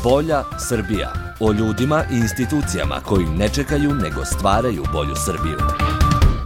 Bolja Srbija. O ljudima i institucijama koji ne čekaju nego stvaraju bolju Srbiju.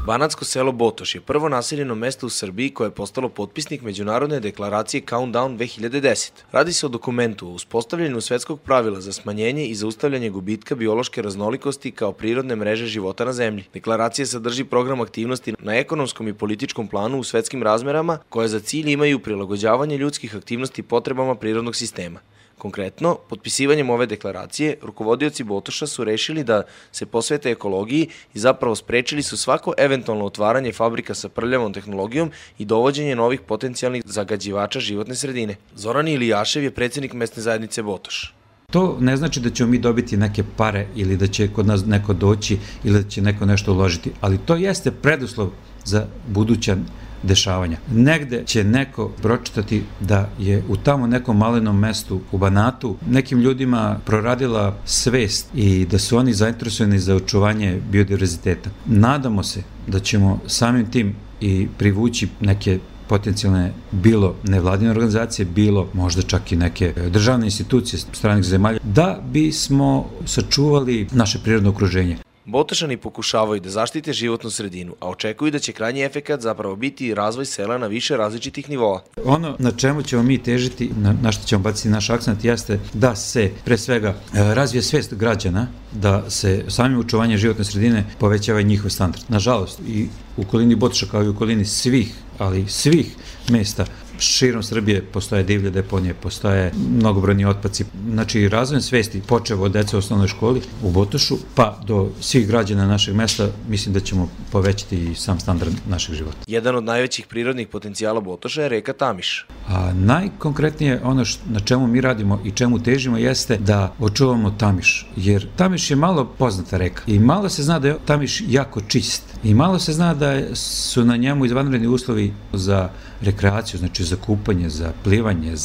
Banatsko selo Botoš je prvo naseljeno mesto u Srbiji koje je postalo potpisnik Međunarodne deklaracije Countdown 2010. Radi se o dokumentu o uspostavljanju svetskog pravila za smanjenje i zaustavljanje gubitka biološke raznolikosti kao prirodne mreže života na zemlji. Deklaracija sadrži program aktivnosti na ekonomskom i političkom planu u svetskim razmerama koje za cilj imaju prilagođavanje ljudskih aktivnosti potrebama prirodnog sistema. Konkretno, potpisivanjem ove deklaracije, rukovodioci Botoša su rešili da se posvete ekologiji i zapravo sprečili su svako eventualno otvaranje fabrika sa prljavom tehnologijom i dovođenje novih potencijalnih zagađivača životne sredine. Zoran Ilijašev je predsjednik mesne zajednice Botoš. To ne znači da ćemo mi dobiti neke pare ili da će kod nas neko doći ili da će neko nešto uložiti, ali to jeste preduslov za buduća dešavanja. Negde će neko pročitati da je u tamo nekom malenom mestu u Banatu nekim ljudima proradila svest i da su oni zainteresovani za očuvanje biodiverziteta. Nadamo se da ćemo samim tim i privući neke potencijalne bilo nevladine organizacije, bilo možda čak i neke državne institucije stranih zemalja, da bismo sačuvali naše prirodno okruženje. Botošani pokušavaju da zaštite životnu sredinu, a očekuju da će krajnji efekat zapravo biti razvoj sela na više različitih nivoa. Ono na čemu ćemo mi težiti, na što ćemo baciti naš akcent, jeste da se pre svega razvije svest građana, da se samim očuvanjem životne sredine povećava njihov standard. Nažalost, i u okolini Botoša kao i u okolini svih mesta širom Srbije postoje divlje deponije, postoje mnogobrojni otpaci. Znači, razvojem svesti, počev od dece u osnovnoj školi u Botošu, pa do svih građana našeg mesta, mislim da ćemo povećati i sam standard našeg života. Jedan od najvećih prirodnih potencijala Botoša je reka Tamiš. A najkonkretnije ono na čemu mi radimo i čemu težimo jeste da očuvamo Tamiš, jer Tamiš je malo poznata reka i malo se zna da je Tamiš jako čist i malo se zna da su na njemu izvanredni uslovi za rekreaciju, znači za kupanje, za plivanje,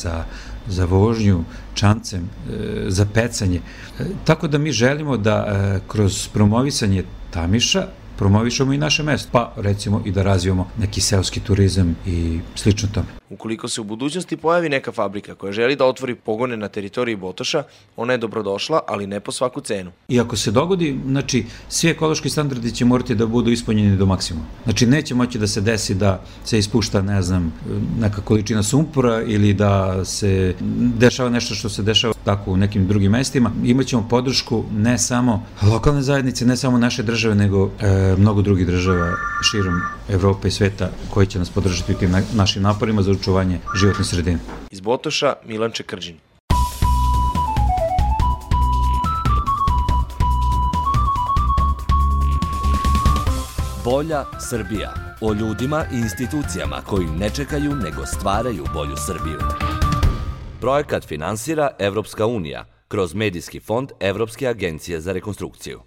za vožnju čamcem, za pecanje. Tako da mi želimo da kroz promovisanje Tamiša promovišemo i naše mesto, pa recimo i da razvijemo neki seoski turizam i slično tome. Ukoliko se u budućnosti pojavi neka fabrika koja želi da otvori pogone na teritoriji Botoša, ona je dobrodošla, ali ne po svaku cenu. I ako se dogodi, znači, svi ekološki standardi će morati da budu ispunjeni do maksimuma. Znači, neće moći da se desi da se ispušta, ne znam, neka količina sumpora ili da se dešava nešto što se dešava tako u nekim drugim mestima. Imaćemo podršku ne samo lokalne zajednice, ne samo naše države, nego mnogo drugih država širom Evrope i sveta koji će nas podržati u tim našim naporima za očuvanje životne sredine. Iz Botoša, Milan Čekrđin. Bolja Srbija. O ljudima i institucijama koji ne čekaju nego stvaraju bolju Srbiju. Projekat finansira Evropska unija kroz Medijski fond Evropske agencije za rekonstrukciju.